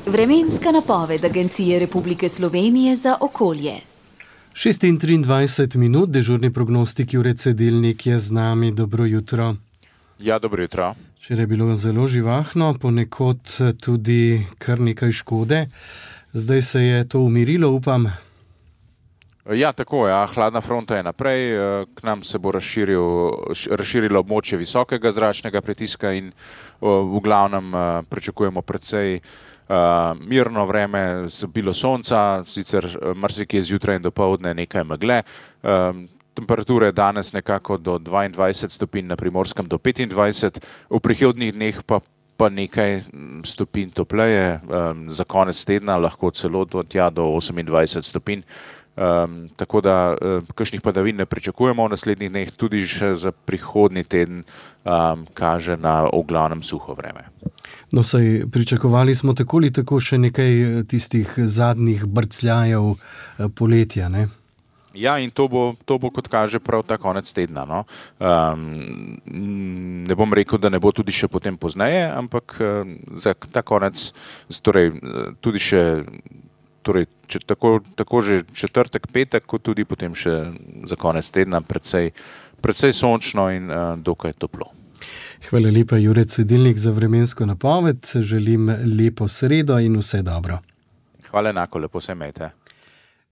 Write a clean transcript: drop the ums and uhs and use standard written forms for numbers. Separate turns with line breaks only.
Vremenska napoved Agencije Republike Slovenije za okolje.
6:23 minut, dežurni prognostik Jure Cedilnik je z nami. Dobro jutro.
Ja, dobro jutro.
Včeraj je bilo zelo živahno, ponekod tudi kar nekaj škode. Zdaj se je to umirilo, upam.
Ja, tako je. Hladna fronta je naprej. K nam se bo razširilo območje visokega zračnega pritiska in v glavnem pričakujemo precej mirno vreme, bilo sonca, sicer marsikje zjutraj in dopoldne nekaj megle. Temperature danes nekako do 22 stopinj, na Primorskem do 25, v prihodnjih dneh pa nekaj stopinj topleje, za konec tedna lahko celo do 28 stopinj. Tako da kakšnih padavin ne pričakujemo v naslednjih dneh, tudi še za prihodnji teden kaže na v glavnem suho vreme.
No, saj pričakovali smo tako ali tako še nekaj tistih zadnjih brcljajev poletja, ne?
Ja, in to bo kot kaže prav ta konec tedna, no. Ne bom rekel, da ne bo tudi še potem pozneje, ampak za ta konec, torej tudi še tako že četrtek, petek, kot tudi potem še za konec tedna precej sončno in dokaj toplo.
Hvala lepa, Jure Cedilnik, za vremensko napoved. Želim lepo sredo in vse dobro.
Hvala enako, lepo se imejte.